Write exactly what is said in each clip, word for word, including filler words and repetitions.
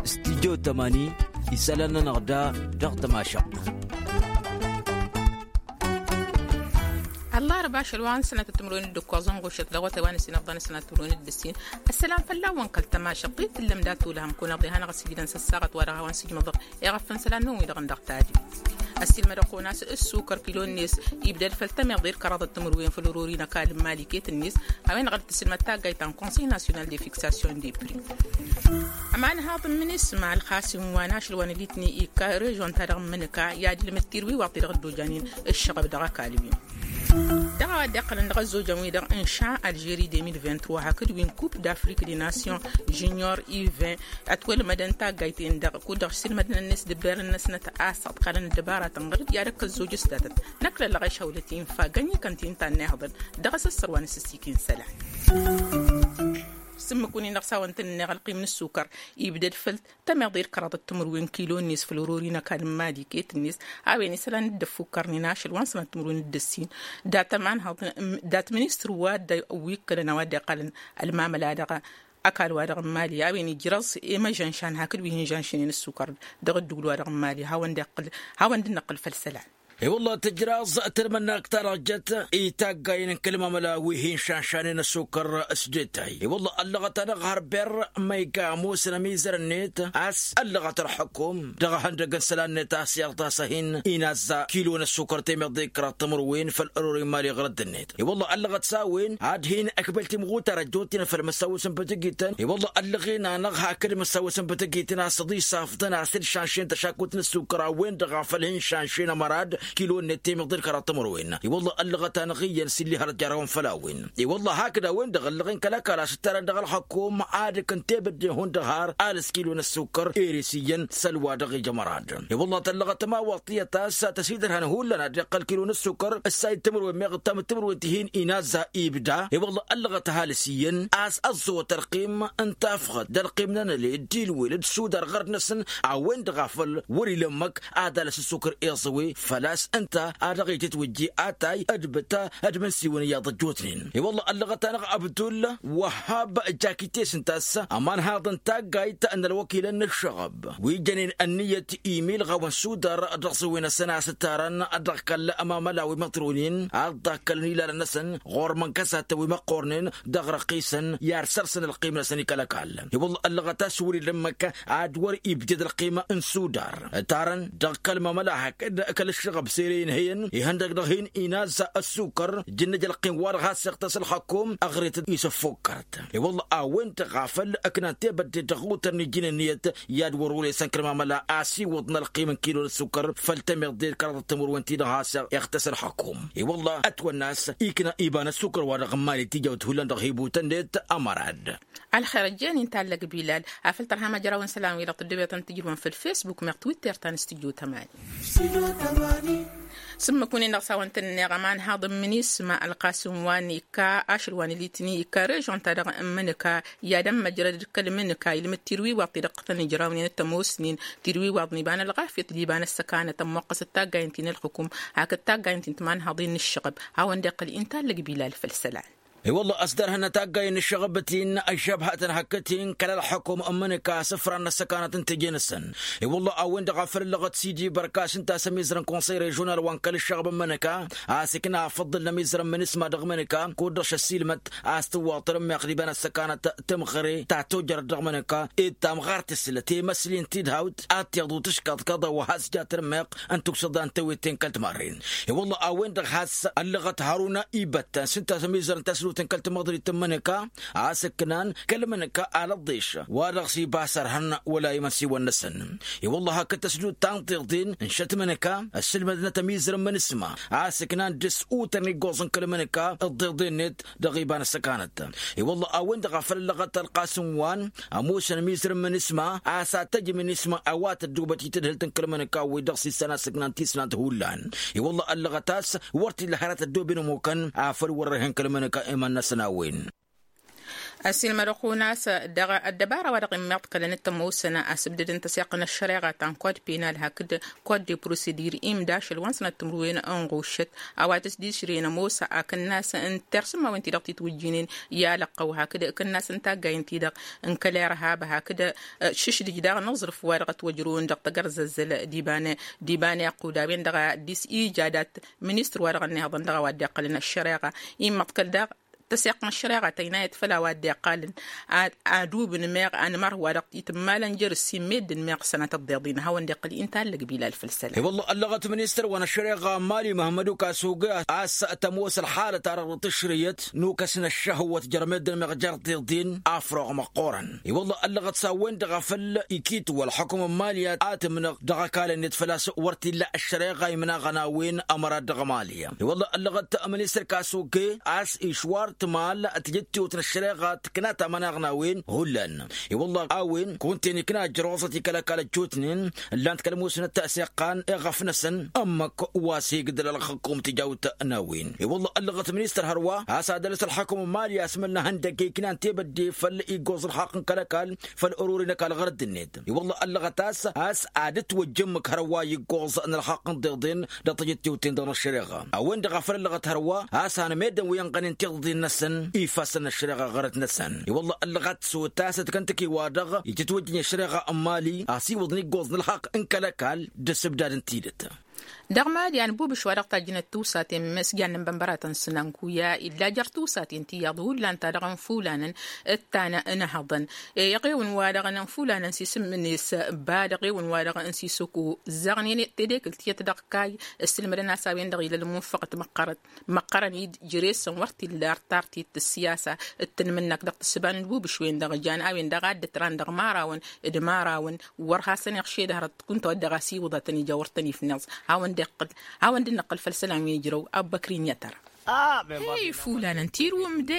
Stidyo tămani isălan-nănăɣ da dăɣ-tămašăɣt. Ăllarba ašăl wa n-sănatăt timǝrwen d-ǝkkoẓ n-ɣušăt dăɣ-wătay wa n-ăsinăɣḍăn sănatăt timǝrwen d-ǝssin. Ăssălam fălla-wăn kăl-tămašăɣt i-tǝllăm dat-ulhăm kunăɣ diha n-aɣăsijidăn s-ăssaɣăt wa dăɣ-hawăn-sǝjmăḍăɣ. Iɣăffăn isălan-năwăn-wi-dăɣ n-dăɣ tadi. Ăssiilmădăɣ-kăwăn a-s ǝssukăr kilo-net ibdăd făll-tămiḍe d-kăraḍăt timǝrwen făll-orori n-ăkall n-mali iket-net. A-wen-dăɣ dd-tǝssǝlmăd taggayt ta n-konsăy nasyonal de fiksasyon de pri. Ămanhaḍ n-minisma ălxasim wa n-ašăl wa n-ălitni ikka režon-ta-dăɣ n-imǝnǝka i-ad-ilmǝd tirwiwaḍt-i-dăɣ dd-ojanen ǝššăɣăb dăɣ-ăkall-win. Dăɣ-a-wa dd-iqqălăn dăɣ-ăzzojăn-wi-dăɣ n-ša alžeri deux mille vingt-trois hakd wi n-coupe d'afrique des nations junior i-vingt. Ătwălmădăn taggayt-en-dăɣ kud-dăɣ s-ilmădăn-net d-ǝbberăn-năsnăt a-s ăḍkalăn ăddăbara tănɣăr-dd i-ad-ăkk ăzzoj s-datăt. Năkk lăllăɣ ešhawlăt infa gănni kănti n-tannayhăḍăn. Dăɣ-asăssăr wa n-asǝssikin isălan. S-ǝmmǝk-win-in-dăɣ s-a-wăn tăn-ǝnneɣ ălqim n-ǝssukăr ibdăd făll-tămeḍe d-kăraḍăt timǝrwen kilo-net făll-orori n-ăkall n-mali iket-net. A-wen isălan dd-ăffukkărnen ašăl wa n-sănat timǝrwen d-ǝssin dat-ămanhăḍ dat-ministăr wa dd-ăwwikkălăn a-wa dd-iqqălăn ălmamăla dăɣ-ăkall-wa-dăɣ n-mali a-wen ijrăẓ i-măžănšan hakd wi hin-žănšnen ǝssukăr dăɣ-ǝddǝwǝl-wa-dăɣ n-mali. Hawăn-dd-năqqǝl făll-isălan. I-wălla tǝjraẓ tărmănnakt ta dăɣ-jăt i-taggayen n-kăl-mamăla wi hin-šanšanen ăssukăr s-detay i-wălla ăllăɣăt-anăɣ hărber ma iga ămoosăn ămizăr-net a-s ăllăɣăt ălxukum dăɣ-ehăndăg n-isălan-net a-s iɣtas a hin-inazza kilo n-ăssukăr temeḍe d-kăraḍ timǝrwen făll-ărori n-imali ɣur-ăddinnet. I-wălla ăllăɣăt s-a-wen ad-hin-ǝkbăl timɣutar ăjjootnen făll-măssaw isǝnbǝt ǝgităn i-wălla ăllăɣen-anăɣ hakd măssaw isǝnbǝt ǝgităn a-s ăḍisafḍăn a-s dd-šanšen tăšakut n-ăssukăr a-wen-dăɣ a făl hin-šanšen ămărad kilo-net temeḍe d-kăraḍ timǝrwen. I-wălla ăllăɣăt-anăɣ iyyăn s-illi hărăt jarăwăn făll-a-wen i-wălla hakd a-wen-dăɣ ăllăɣen kăl-ăkall a-s ǝttarăn dăɣ-ălxukum ad-ǝkǝn tebădde hundăɣ har alǝs kilo n-ăssukăr ere s-iyyăn s-ălwa dăɣ-ija ămărad. I-wălla tăllăɣăt ămawaḍt tiyyăt a-s tăsidărhăn hullan ad-iqqăl kilo n-ăssukăr ǝssay d-timǝrwen meɣ d-tamǝt timǝrwen ti hin-inazza ibda i-wălla ăllăɣăt ăhalǝs iyyăn a-s ăẓẓăwăt ălqim n-tafɣăt d-ălqim n-anăle d-ilwel d-sudar ɣărd-năsăn a-wen-dăɣ a făl wăr-ila ǝmmǝk ad-alăs ăssukăr iẓăwe făl-a-s ǝnta a dăɣ-itǝtwǝjje atay d-bǝta d-imǝnsiwăn iyyăḍ ăjjootnen. I-wălla ăllăɣăt-anăɣ abdul wăhhab jakite s-ǝnta a-s ămanhaḍ n-taggayt n-ălwăkilăn n-ǝššăɣăb wi jănen ănniyăt imilɣawăn sudar dăɣ-săwwen-năsăn a-s ǝttarăn dăɣ-kăl-ămamăla wi măḍronen ad-ḍakkălăn ilalăn-năsăn ɣur-mănkăsatăn wi măqqornen dăɣ-răqqisăn i-ad-sărsăn ălqim-năsăn i-kăl-ăkall. I-wălla ăllăɣăt a-s wăr-ila ǝmmǝk ad-wăr-ibded ălqim n-sudar ǝttarăn dăɣ-kăl-mamăla hakd kăl-ǝššăɣăb s-ere inhăyăn ihăndăg dăɣ-hin-inazza ăssukăr jǝnnăj ălqim-wa-dăɣ has-iɣtăs ălxukum ăɣret-dd isǝffukkărt. I-wălla a-wen-dăɣ a făl ǝknan tebădde dăɣ-utăr n-iji n-ǝnniyăt i-ad-wăr-olesăn kăl-mamăla a-s iwwăḍ n-ălqim n-kilo n-ăssukăr făll-temeḍe d-kăraḍăt timǝrwen-ti-dăɣ has-iɣtăs ălxukum. I-wălla ătwănna a-s ikna iba n-ăssukăr-wa-dăɣ n-imali tijawt hullan dăɣ-hibutăn-net ămărad. Ălxer ăjjeen-in tallăg bilal afăl tărha măjrawăn isălan-wi-dăɣ tǝddǝbetăn tǝjrǝwăn făll-fesbuk meɣ twitter ta n-studyo tămani. S-ǝmmǝk-win-in-dăɣ s-a-wăn tǝnneɣ ămanhaḍ n-minisma ălqasǝm wa n-ikka ašăl wa n-ilitni ikka režon-ta-dăɣ n-imǝnǝka i-ad-ămmăjrăd d-kăl-imǝnǝka ilmǝd tirwiwaḍt-i-dăɣ tăn-ijrawnen d-tămoosnen tirwiwaḍ n-iba n-ălɣafyăt d-iba n-ăssăkanăt ămmoqqăsăt taggayǝn ti n-ălxukum hakd taggayǝn ti n-timanhaḍin n-ǝššăɣăb. Hawăn-dd-iqqăl intallăg bilal făll-isălan. I-wălla ăsdărhăn taggayǝn n-ǝššăɣăbăt-in ăžžăbhătăn hakd-in kăl-ălxukum n-imǝnǝka asǝfran n-ăssăkanăt n-teje-năsăn. I-wălla a-wen-dăɣ a făl ǝllăɣăt sidi bărka a-s ǝnta a-s ămizăr n-konsăy režional wa n-kăl-ǝššăɣăb n-imǝnǝka a-s ǝkna afăḍǝl n-ămizăr n-minisma dăɣ-imǝnǝka kud-dăɣ šăssilmăt a-s tǝwwaḍ tărǝmmeɣt d-iba n-ăssăkanăt timɣăre ta tojărăt dăɣ-imǝnǝka ed tamɣart tǝslăt i-măsli n-tidhawt ad-tiḍu tǝškaḍ kăḍa wa has-ja tărǝmmeɣt n-tuksǝḍa n-tewet-ten kăl-timarren. I-wălla a-wen-dăɣ has-ăllăɣăt haruna ibăttăn s-ǝnta a-s ămizăr n-taslut n-kăl-timăḍrit n-imǝnǝka a-s ǝknan kăl-imǝnǝka alăḍḍeš wa dăɣ-s iba sărhăn wăla imănsiwăn-năsăn. I-wălla hakd tăsdut ta n-tiḍen n-šăt imǝnǝka ăssǝlmădnăt ămizăr n-imǝnǝsma a-s ǝknan dăr-s utăr n-iggoẓ n-kăl-imǝnǝka ǝḍḍeḍen-net dăɣ-iban ăssăkanăt. I-wălla a-wen-dăɣ a făl ăllăɣăt ălqasǝm wa n-ămoosăn ămizăr n-imǝnǝsma a-s ad-tăj imǝnǝsma a-wa tăddubăt i-tadhǝlt n-kăl-imǝnǝka wi-dăɣ s-issan a-s ǝknan tisnant hullan. I-wălla ăllăɣăt a-s wăr t-illa hărăt ăddooben ămukăn afăl wăr-ărhen kăl-imǝnǝka iman-năsăn a-wen. Ăsilmădăɣ-kăwăn a-s dăɣ-ăddăbara-wa-dăɣ immiḍkălăn d-tămoosăn asǝbdăd n-tăseɣt n-ăššăreɣa ta n-kod penal hakd kod de prosedir imdašăl wa n-sănăt timǝrwen n-ɣuššăt a-wa tǝsdǝšrǝyăn ămoos akǝnnas n-tersǝmmawen-ti-dăɣ titwǝjjǝynen i-alăqqăw hakd akǝnnas n-taggayen-ti-dăɣ n-kăl-irhab hakd šǝšdǝj daɣ n-aẓrǝf-wa-dăɣ ătwăjrăwăn dăɣ-tagărzăzzăl d-iba n-iqqud a-wen-dăɣ a dd-ija dat-ministăr-wa-dăɣ ănnihăḍăn dăɣ-a-wa dd-iqqălăn ăššăreɣa. Immăḍkăl daɣ tăseɣt n-ăššăreɣa tăynayăt făll-a-wa dd-iqqalăn ad-ubǝn meɣ anmărh-wa-dăɣ itǝmmalăn jer-ǝssin meddǝn meɣ sănatăt d-iḍin hawăn-dd-iqqǝl inta ăllăg bilal făll-isălan. I-wălla ăllăɣăt ministăr wa n-ăššăreɣa n-mali măhmădu kasuge a-s tămoos ălxalăt-ta-dăɣ dăɣ-tǝšrǝyăt n-ukăs n-ăššăhwăt jer-meddǝn meɣ jer-tiḍin afroɣ măqqoorăn. I-wălla ăllăɣăt s-a-wen-dăɣ a făl ikitwăl ălxukǝm n-mali a tǝmnăɣ dăɣ-ăkall-net făl-a-s wăr t-illa ăššăreɣa imnaɣăn a-wen ămăra dăɣ-mali. I-wălla ăllăɣăt ministăr kasuge a-s išwar timal tǝjǝttewt n-ăššăreɣa tǝkna tamănaɣ n-a-wen hullan. I-wălla a-wen kăwăn-ten ikna ăjrăwăẓăt i-kăl-ăkall ăjjootnen ǝllan-t kăl-musnăt ta s-iqqan iɣăf-năsăn ămmăk wa s-igdăl ălxǝkkum tijawt n-a-wen. I-wălla ăllăɣăt ministăr hărwa a-s ad-ălăs ălxakǝm n-mali asmăl n-ehăndăgg iknan tebădde făll-iggoẓ ǝlxaqq n-kăl-ăkall făll-ărori n-ăkall ɣărăt-net. I-wălla ăllăɣăt a-s a dd-ătwăjja ǝmmǝk hărwa iggoẓ n-ălxaqq n-tiḍeḍen dăɣ-tijǝttewten dăɣ-năššăreɣa a-wen-dăɣ a făl ăllăɣăt hărwa a-s han meddǝn wi ănɣănen tiḍeḍen-năsăn ifassăn n-ăššăreɣa ɣărăt-năsăn. I-wălla ăllăɣăt s-otasăt kăntăki-wa-dăɣ itǝtwăjjăn i-ăššăreɣa n-mali asiwǝḍăn iggoẓ n-ălxaqq n-kăl-ăkall d-asǝbdad n-tidǝt. Dăɣ-mad i-anbubǝš wa dăɣ-tajjǝnăt tiwsaten măsjan n-bănbăratăn s-nănkuya illa jer-tiwsaten tiyyăḍ hullan ta dăɣ-nfulanăn d-tanăhăḍăn. Eɣewăn wa dăɣ-nănfulanăn s-isǝm-net ba dăɣ-ewăn wa dăɣ-n sisăko zăɣnen tedekǝlt tiyyăt dăɣ-kayy ǝssǝlmădăn a-s a-wen-dăɣ ila ălmunfăɣăt măqqărăn măqqărăn-dd jere-săn wăr t-illa artar ti t-siyasa d-tǝnmǝnnăk dăɣ-tǝssǝba n-ălbubǝš-wen-dăɣ jan a-wen-dăɣ a dd-ǝtran dăɣ-imărawăn d-imărawăn wăr hasăn-iɣšed hărăt kunta wa dd-dăɣ-asiwǝḍătăn ija wăr tăn-ifnăẓ. Hawăn-dd-iqqǝl hawăn-dd-năqqǝl făll-isălan wi ǝjrăw abbăkri n-iyyăt ara. He ifulanăn tirǝwăm de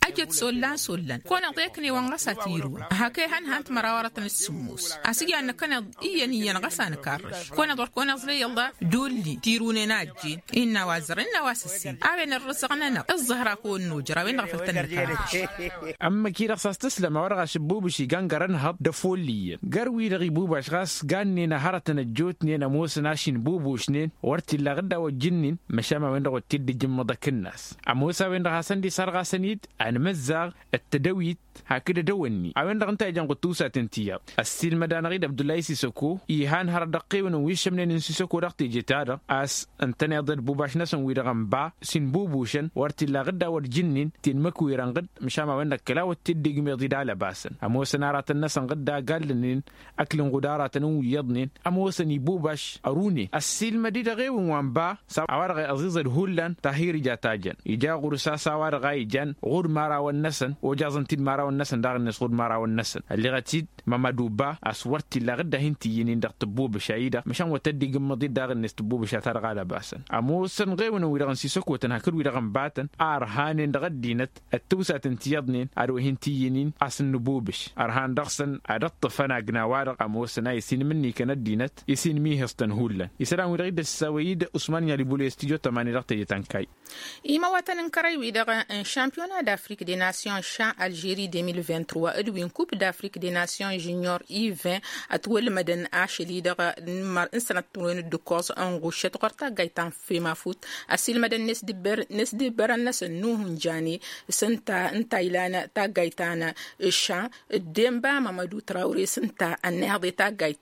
ăjăt s-ollan s-ollan kăwăn-iḍa iknewăn ɣas a tirǝwăm hak ehăn han timăraw aratăn d-sǝmmos. Asǝj annăkăneḍ iyyăn iyyăn ɣas a nǝkarrăš kăwăn-iḍa wăr kăwăn-iẓlăy ăllah. D-olli tirǝwnen a ăjjeen innă a-wa zărăn innă a-wa s-ǝssin a-wen ărrǝsăɣ-nănăɣ ǝẓẓăhra kăwăn-nojăr a-wen-dăɣ a făl tăn-nǝkarrăš. Ămmăk-i-dăɣ s-a-s tǝslăm a-wa dăɣ-ašǝbbubǝš iga n-gărăn hăḍ d-efulli iyyăn găr-wi-dăɣ ibubas ɣas gannen a hărătăn ăjjootnen ămoosăn ašin bubusnen wăr t-illa aɣǝddaw ăjjǝnnin. Măšan a-wen-dăɣ wăr t-dd-ijǝmmăḍ akǝnnas ămoos a-wen-dăɣ hasăn-dd-isarɣasăn-dd anmǝzzaɣ d-tădăwit hakd edăwănni a-wen-dăɣ ǝnta a ijăn ɣud tiwsaten tiyyăḍ. Ăssiilmăd-anăɣ-dd abdullahi sisăko ihan hărăt dăɣ-tewǝnăn wi ǝššămnen n-sisăko dăɣ-teje-ta-dăɣ a-s ǝntăneḍ d-ibubaš-năsăn wi-dăɣ ănba s-inbubušăn wăr t-illa aɣǝddaw ăjjǝnnin tinmăkwirăn ɣǝd. Măšan a-wen-dăɣ kăla wăr t-dd-igmeḍ-dd alăbasăn ămoosăn aratăn-năsăn ɣǝdda gallănen ăkl n-ɣudaratăn n-wi iyyăḍnen ămoosăn ibubaš ărune ăssiilmăd-dd eɣewăn wa n-ba s-a-wa-dăɣ iẓiẓăd hullan tahir ija tajăn ija ɣur-s a-s a-wa-dăɣ a ijan ɣur-marawăn-năsăn ojaẓăn-t-dd marawăn-năsăn daɣ-net ɣur-marawăn-năsăn ălleɣăt-dd mămăduba a-s wăr t-illa aɣǝdda hin-t-iyyǝn-in dăɣ-tǝbbubǝša-i-dăɣ măšan wăr tădd-igǝmmăḍ-dd daɣ-net tǝbbubǝša-ta-dăɣ alăbasăn. Ămoosăn ɣewăn wi-dăɣ n-sisăkotăn hakd wi-dăɣ n-batăn a ărhanen dăɣ-ăddinăt d-tiwsaten ti iyyăḍnen ad-wa hin-t-iyyǝn-in a-s n-nǝbubǝš ărhan dăɣ-săn ad-ǝṭṭǝfăn agna-wa-dăɣ ămoosăn a isinmǝnnikăn ăddinăt isinmihǝẓ-tăn hullan. Isălan-wi-dăɣ i-dd-ăssawăy-dd usman i-alibul i-studyo tămani dăɣ-teje ta n-kayy. Imăwatăn n-kărăy-wi-dăɣ n-šampiyona d-afrik de nasyon šan alžeri de mil vingt-trois d-wi n-kup d-afrik de nasyon žunior i-vingt ătwălmădăn ašăl-i-dăɣ n-sănăt timǝrwen d-ǝkkoẓ n-ɣuššăt ɣur-taggayt ta n-femafut. Ăsilmădăn n-esdǝbbărăn-năsăn nuhun jane s-ǝnta ǝnta ilan taggayt ta n-ša d-denba mămădu trawre s-ǝnta ănnihăḍ i-taggayt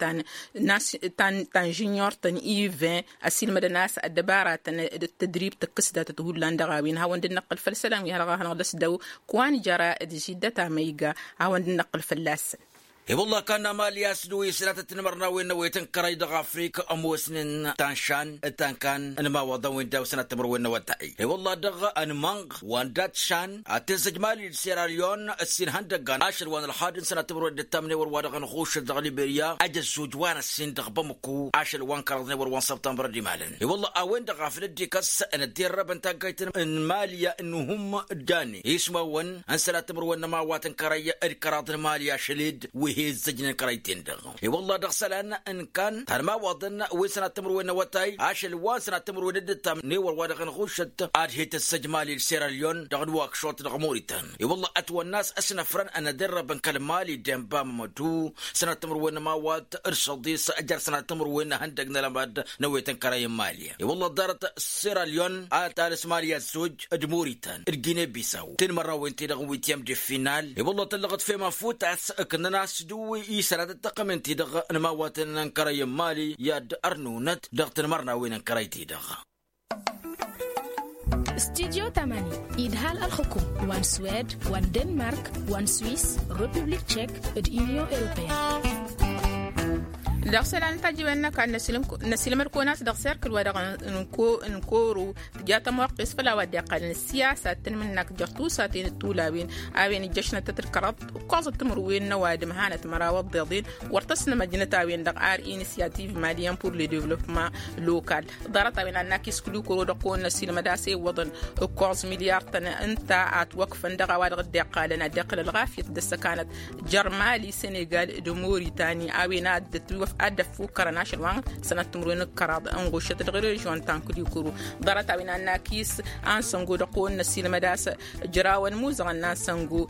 ta n-žunior-tăn i-vingt. Ăsilmădăn a-s ăddăbaratăn d-tădrib tǝkkǝs datăt hullan dăɣ-a-wen hawăn-dd-năqqǝl făll-isălan wi hărăɣ-a hanăɣ-dăɣ s-dăw. Kăwăn jăra d-židăt amăyga hawăn-dd-năqqǝl fălla-săn. I-wălla kanna mali a-s dăw-i s-datăt n-imărnawen n-awet n-kărăy dăɣ-afrik ămoosnen ta n-šan d-ta n-kan n-imawaḍăn-wen daw-săn ad-timărwen n-awătay. I-wălla dăɣ-anmănɣ wa n-dat šan ad-tǝzzăj mali d-sera lyon ǝssin ihăndăggan ašăl wa n-ălxad n-sănat timǝrwen d-ǝttamnen wăr-wa-dăɣ ănɣušăl dăɣ-liberya. Ăj ăzzoj wa n-ăssin dăɣ-bamăku ašăl wa n-kăraḍnen wăr-wa n-săbtămbăr d-imalăn i-wălla a-wen-dăɣ a făl dd-ikăs ănădderrăb n-taggayt n-mali n-uhǝm d-dani ismawăn n-sănat timǝrwen n-ămawat n-kărăy d-kăraḍ n-mali ašăl-dd wi. He-ǝzzăjnen kărăyten-dăɣ. I-wălla dăɣ-isălan n-kan tanmawaḍăn wi n-sănat timǝrwen n-awătay ašăl wa n-sănat timǝrwen d-ǝttam n-ewăr wa dăɣ-năɣušăt ad-he-tǝssăj mali d-sera lyon dăɣ-ălwăkšuṭ dăɣ-muritan. I-wălla ătwănna a-s ăsnăfrăn ănăderrăbăn kăl-mali d-enba mămădu sănat timǝrwen n-amawat d-săḍis jer-sănat timǝrwen n-ehăndăg n-ălămad n-awet n-kărăy n-mali. I-wălla ḍarăt sera lyon ad-talǝs mali ăzzoj d-muritan d-gine bisaw tǝnmărrawen-ti-dăɣ n-wityăm d-final. I-wălla tǝllăɣăt fem afut a-s ǝknăn-as d-wi isănat d-tăqqămen-ti-dăɣ n-imawatăn n-kărăy n-mali i-ad-ărnunăt dăɣ-tǝnmărnawen n-kărăy-ti-dăɣ. Studyo tamani idhal ălxukum wa n-swed wa n-denmark wa n-swis, republik tchek, d-union europeen. Dăɣ-isălan n-tajǝwen n-ăkall năsilmăd-kăwăn a-s dăɣ-serkǝl wa dăɣ-nǝnkoru tǝja tămoqqes făll-a-wa dd-iqqalăn ăssiyasa d-tanmǝnnakt jer-tusaten d-tulawen a-wen ǝjjăšnătăt d-kăraḍ ǝkkoẓăt timǝrwen n-ăwadǝm hanăt măraw ăḍḍeḍen wăr tăsnămăjnăt a-wen-dăɣ ar inisyativ maliyăn pur le devlopman lokal. Ḍarăt-a-wen ad-nakis kǝli kăro-dăɣ kăwăn-năsilmăd a-s ewwăḍăn ǝkkoẓ milyar-tăn ǝnta a ătwăkfăn dăɣ-a-wa dăɣ-dd-iqqalăn ad-dd-iqqǝl ălɣafyăt d-ăssăkanăt jer-mali senegal d-moritani a-wen ad-dd-ătwăf ad-dd-ăffukkărăn ašăl wa n-sănat timǝrwen d-kăraḍ ănɣušăt dăɣ-režion ta n-kǝli kăro. Ḍarăt-a-wen ad-nakis ansăngo dăɣ-kăwăn-năsilmăd a-s ǝjrawăn imuzăɣăn n-ansăngo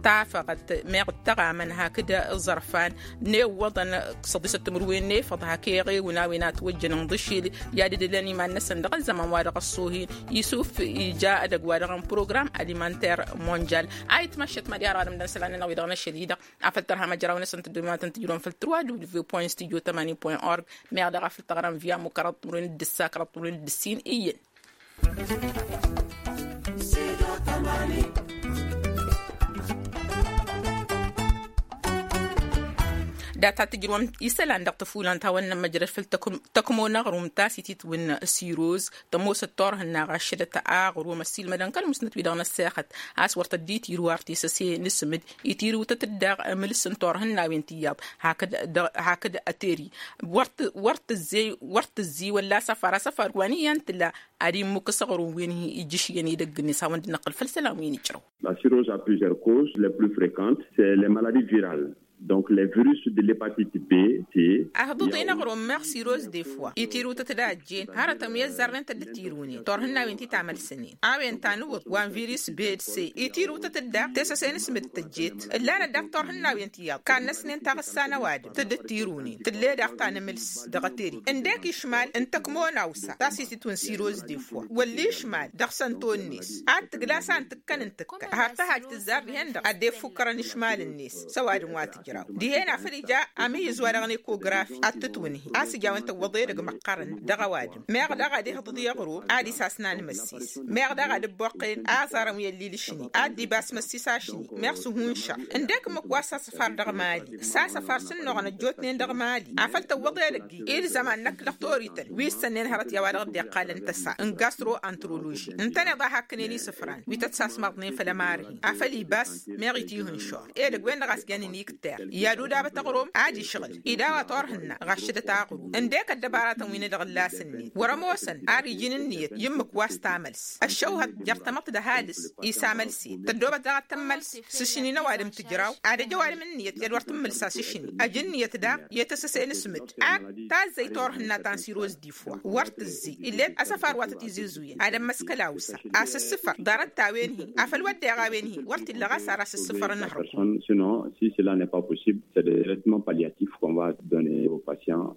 tafăɣăt meɣ d-tăɣamăn hakd ǝẓărfan n-ewwăḍăn săḍisăt timǝrwen n-efăḍ hak eɣewǝn a-wen a ătwăjjăn ǝnḍǝšil i-ad-ǝdǝlăn iman-năsăn dăɣ-ăzzăman wa dăɣ-ăṣṣuhin. Isuf ija edăgg wa dăɣ-n program alimanter monjal. A itmăššăt mad-i-har ɣadăm d-ănšăl a nănăɣ wi-dăɣ n-ašăl-i-dăɣ afăl tărha măjrawăn-năsăn tǝddǝnǝmnatăn tǝjrǝwăn făll-tǝrwa w point studio tămani point org. Meɣ daɣ a făl tăɣrăm via mukărăḍ timǝrwen d-ǝssa kărăḍ timǝrwen d-ǝssin iyyăn. Data tǝjrǝwăm isălan dăɣ-tăfulan ta wănnăn măjrăd făll-tăkmo n-aɣrum ta s-ititwǝn siroz tămoosăt turhǝnna ɣaššădăt aɣrum ăssiilmădăn kăl-musnăt wi-dăɣ n-ăssexăt a-s wăr tăddi tirǝw ar tesăse n-asǝmǝd. Itirǝwtăt-dd daɣ amǝls n-turhǝnnawen tiyyăḍ hakd ăteri wăr tǝzzey wăr tǝzzey wălla asăfar asăfar wa n-iyyăn tǝla ad-immukǝs aɣrum wi n-hi-ijjǝšyăn edăgg-net hawăn-dd-năqqǝl făll-isălan wi n-ijrăw. La cirrhose a plusieurs causes, les plus fréquentes c'est les maladies virales. Donc les virus de l'hepatite b, c. Ahḍuḍen aɣrum meɣ siroz defwa itirǝwtăt d-ajjen hărătăn wi ăzzarnen tădd-tirǝwnen turhǝnnawen ti tamălsănen a-wen ta n-iwǝḍ wa n-virus b d c. Itirǝwtăt-dd daɣ tesăse n-asǝmǝd tăjjet ǝllanăt daɣ turhǝnnawen tiyyăḍ kannăsnen taɣǝssa n-ăwadǝm tădd-tirǝwnen tǝlle daɣ ta n-amǝls dăɣ-ăteri ǝndek išmal n-tăkmo n-awsa ta s-ititwǝn siroz defwa wălla išmal dăɣ-sănto-net ad-tǝglas a n-tǝkkăn n-tǝkkăn har tăhaj tǝzzar dihen-dăɣ ad-dd-ifukkărăn išmal-net s-ăwadǝm wa tǝjraw dihen afăl ija amǝyyǝz wa dăɣ-n ekografi ad-tǝtwǝnhi a-s ija a-wen tăwwăḍ edăgg măqqărăn dăɣ-ăwadǝm meɣ daɣ ad-ihǝḍǝḍ i-aɣrum ad-isasna n-imăsses meɣ daɣ ad-ǝbboqqen aẓarăn wi ăllil ašni ad-dd-ibas măsses ašni meɣ s-ǝhunšăr ǝndek ǝmmǝk wa s-asăfar dăɣ-mali s-asăfar s-ǝnnuɣăn ăjjootnen dăɣ-mali afăl tăwwăḍ edăgg-i i-ǝlzăman n-ăkk dăɣ-torităn wi ǝssănnen hărăt i-a-wa dăɣ-dd-iqqalăn tăsa n-gastro-antroloži ǝntăneḍ a hakkǝnen isǝfran wi tăt-sasmaḍnen făll-ămarhin afăl ibas meɣ itihǝnšor edăgg-wen-dăɣ a s-jannen ikter i-ad-udabăt aɣrum ad-išɣǝl ida wa turhǝnna ɣaššădăt aɣrum ǝndek ăddăbaratăn wi n-edăɣ ǝllas-net wăr-ămoosăn ar iji n-ǝnniyăt i-ǝmmǝk wa s-tamăls ăššăwhăt jer-tamăḍt d-ăhalǝs isamălsen tăddoobăt daɣ ad-tămmăls s-ašni n-ăwadǝm tǝjraw ad-ăj ăwadǝm ǝnniyăt i-ad-wăr tǝmmǝlsa s-ašni ăj ǝnniyăt daɣ i-tăsăse n-asǝmǝd ad-tazzăy turhǝnna ta n-siroz d-ifwa wăr tǝzzǝy ill'-e asăfar wa tăt-izǝzuyăn ad-ămmăskăl awsa a-s ǝssǝfăr ḍarăt-ta-wen-hi afăl wădden a-wen-hi wăr t-illa ɣas ar asǝssǝfăr n-hărăt. Sinon si cela n'est pas possible c'est des traitements palliatifs qu'on va donner aux patients.